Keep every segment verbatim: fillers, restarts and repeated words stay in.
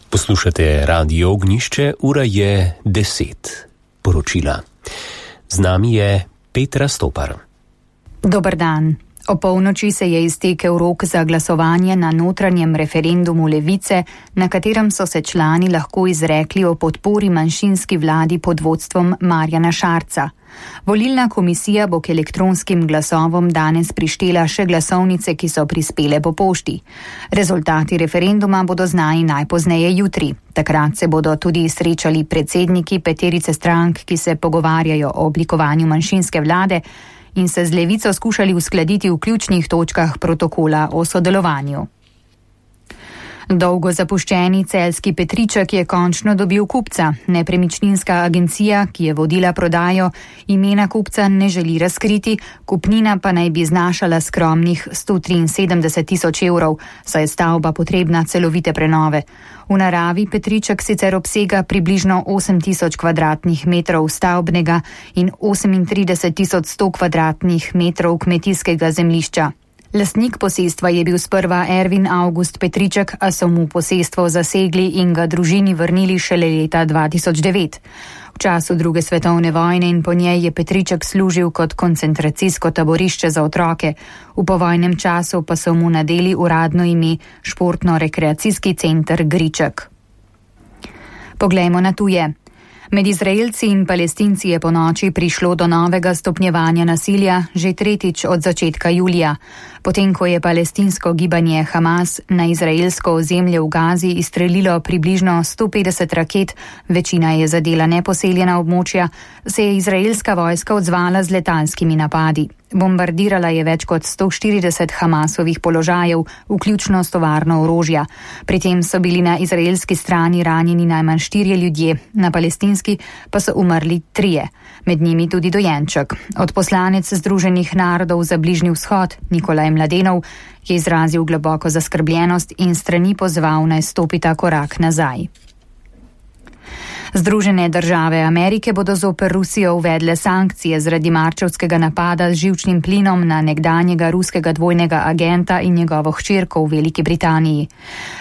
Poslušate Radio Ognjišče, ura je deset. Poročila. Z nami je Petra Stopar. Dober dan. O polnoči se je iztekel rok za glasovanje na notranjem referendumu Levice, na katerem so se člani lahko izrekli o podpori manjšinski vladi pod vodstvom Marjana Šarca. Volilna komisija bo k elektronskim glasovom danes prištela še glasovnice, ki so prispele po pošti. Rezultati referenduma bodo znani najpozneje jutri. Takrat se bodo tudi srečali predsedniki peterice strank, ki se pogovarjajo o oblikovanju manjšinske vlade, in se z Levico skušali uskladiti v ključnih točkah protokola o sodelovanju. Dolgo zapuščeni celjski Petriček je končno dobil kupca. Nepremičninska agencija, ki je vodila prodajo, imena kupca ne želi razkriti, kupnina pa naj bi znašala skromnih sto triinsedemdeset tisoč evrov, saj je stavba potrebna celovite prenove. V naravi Petriček sicer obsega približno osem tisoč kvadratnih metrov stavbnega in osemintrideset tisoč sto kvadratnih metrov kmetijskega zemljišča. Lastnik posestva je bil sprva Ervin August Petriček, a so mu posestvo zasegli in ga družini vrnili šele leta dva tisoč devet. V času druge svetovne vojne in po njej je Petriček služil kot koncentracijsko taborišče za otroke. V povojnem času pa so mu nadeli uradno ime Športno-rekreacijski center Griček. Poglejmo na tuje. Med Izraelci in Palestinci je po noči prišlo do novega stopnjevanja nasilja, že tretjič od začetka julija. Potem, ko je palestinsko gibanje Hamas na izraelsko ozemlje v Gazi izstrelilo približno sto petdeset raket, večina je zadela neposeljena območja, se je izraelska vojska odzvala z letalskimi napadi. Bombardirala je več kot sto štirideset Hamasovih položajev, vključno s tovarno orožja. Pri tem so bili na izraelski strani ranjeni najmanj štirje ljudje, na palestinski pa so umrli trije, med njimi tudi dojenček. Odposlanec Združenih narodov za Bližnji vzhod, Nikolaj Mladenov, je izrazil globoko zaskrbljenost in strani pozval, naj stopita korak nazaj. Združene države Amerike bodo zoper Rusijo uvedle sankcije zaradi marčevskega napada z živčnim plinom na nekdanjega ruskega dvojnega agenta in njegovo hčerko v Veliki Britaniji.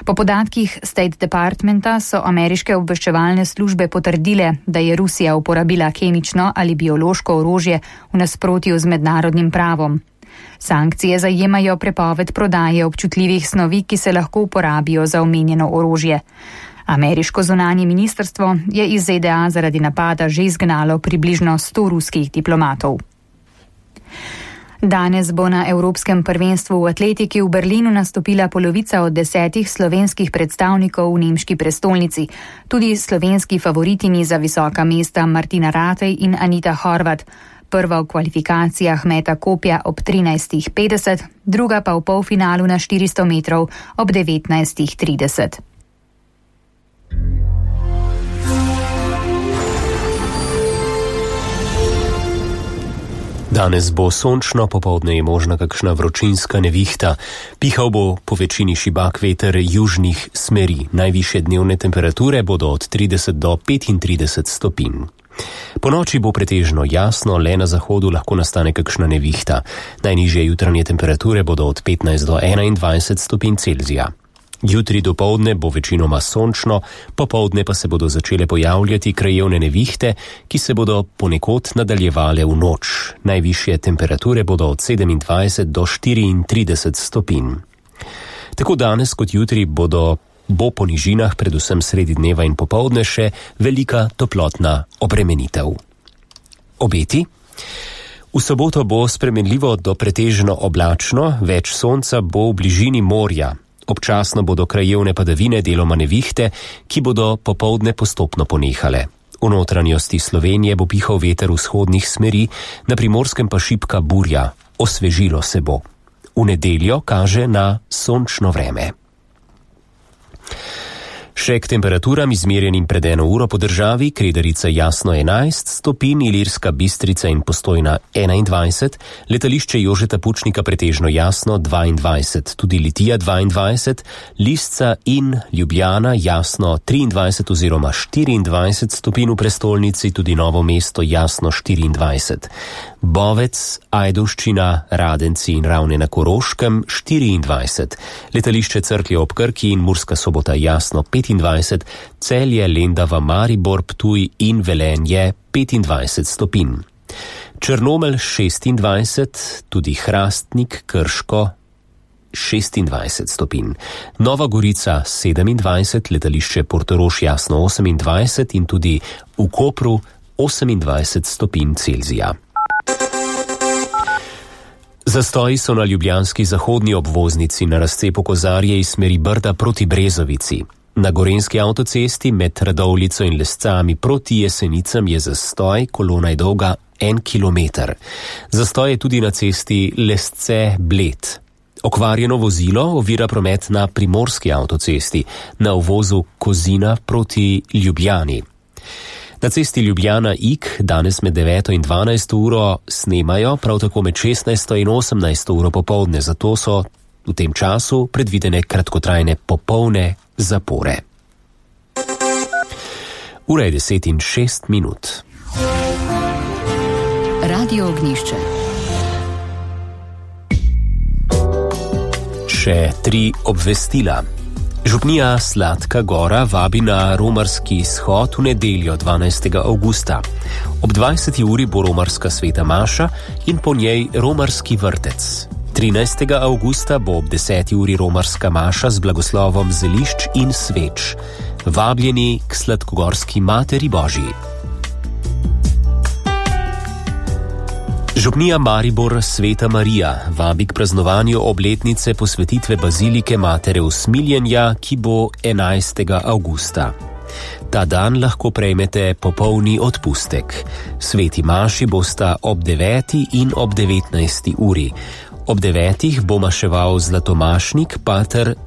Po podatkih State Departmenta so ameriške obveščevalne službe potrdile, da je Rusija uporabila kemično ali biološko orožje v nasprotju z mednarodnim pravom. Sankcije zajemajo prepoved prodaje občutljivih snovi, ki se lahko uporabijo za omenjeno orožje. Ameriško zunanje ministrstvo je iz Z D A zaradi napada že izgnalo približno sto ruskih diplomatov. Danes bo na Evropskem prvenstvu v atletiki v Berlinu nastopila polovica od desetih slovenskih predstavnikov v nemški prestolnici. Tudi slovenski favoritini za visoka mesta Martina Ratej in Anita Horvat. Prva v kvalifikacijah meta kopja ob trinajstih petdeset, druga pa v polfinalu na štiristo metrov ob devetnajstih trideset. Danes bo sončno, popoldne je možna kakšna vročinska nevihta. Pihal bo po večini šibak veter južnih smeri. Najvišje dnevne temperature bodo od trideset do petintrideset stopinj. Po noči bo pretežno jasno, le na zahodu lahko nastane kakšna nevihta. Najnižje jutranje temperature bodo od petnajst do enaindvajset stopinj Celzija. Jutri dopoldne bo večinoma sončno, popoldne pa se bodo začele pojavljati krajevne nevihte, ki se bodo ponekod nadaljevale v noč. Najvišje temperature bodo od sedemindvajset do štiriintrideset stopinj. Tako danes kot jutri bodo bo po nižinah, predvsem sredi dneva in popoldne, še velika toplotna obremenitev. Obeti? V soboto bo spremenljivo do pretežno oblačno, več sonca bo v bližini morja. Občasno bodo krajevne padavine, deloma nevihte, ki bodo popoldne postopno ponehale. V notranjosti Slovenije bo pihal veter vzhodnih smeri, na Primorskem pa šibka burja. Osvežilo se bo. V nedeljo kaže na sončno vreme. Še k temperaturam izmerjenim pred eno uro po državi: Kredarica jasno enajst stopinj, Ilirska Bistrica in Postojna enaindvajset, letališče Jožeta Pučnika pretežno jasno dvaindvajset, tudi Litija dvaindvajset, Lisca in Ljubljana jasno triindvajset oziroma štiriindvajset stopinj v prestolnici, tudi Novo mesto jasno štiriindvajset. Bovec, Ajdovščina, Radenci in Ravne na Koroškem štiriindvajset, letališče Cerklje ob Krki in Murska Sobota Jasno petindvajset, Celje, Lendava, Maribor, Ptuj in Velenje petindvajset stopinj. Črnomelj šestindvajset, tudi Hrastnik, Krško šestindvajset stopinj. Nova Gorica sedemindvajset, letališče Portorož Jasno osemindvajset in tudi v Kopru osemindvajset stopinj Celzija. Zastoji so na ljubljanski zahodni obvoznici na razcepu Kozarje iz smeri Brda proti Brezovici. Na gorenjski avtocesti med Radovljico in Lescami proti Jesenicam je zastoj, kolona je dolga en kilometer. Zastoj je tudi na cesti Lesce-Bled. Okvarjeno vozilo ovira promet na primorski avtocesti, na uvozu Kozina proti Ljubljani. Na cesti Ljubljana-Ig danes med deveto in dvanajsto uro snemajo, prav tako med šestnajsto in osemnajsto uro popoldne, zato so v tem času predvidene kratkotrajne popolne zapore. Ura je deset in šest minut. Radio Ognjišče. Še tri obvestila. Župnija Sladka Gora vabi na romarski shod v nedeljo dvanajstega avgusta. Ob dvajseti uri bo romarska sveta maša in po njej romarski vrtec. trinajstega avgusta bo ob deseti uri romarska maša z blagoslovom zelišč in sveč. Vabljeni k Sladkogorski Materi Božji. Župnija Maribor Sveta Marija vabi k praznovanju obletnice posvetitve bazilike Matere Usmiljenja, ki bo enajstega avgusta. Ta dan lahko prejmete popolni odpustek. Sveti maši bosta ob deveti in ob devetnajsti uri. Ob devetih bo maševal zlatomašnik pater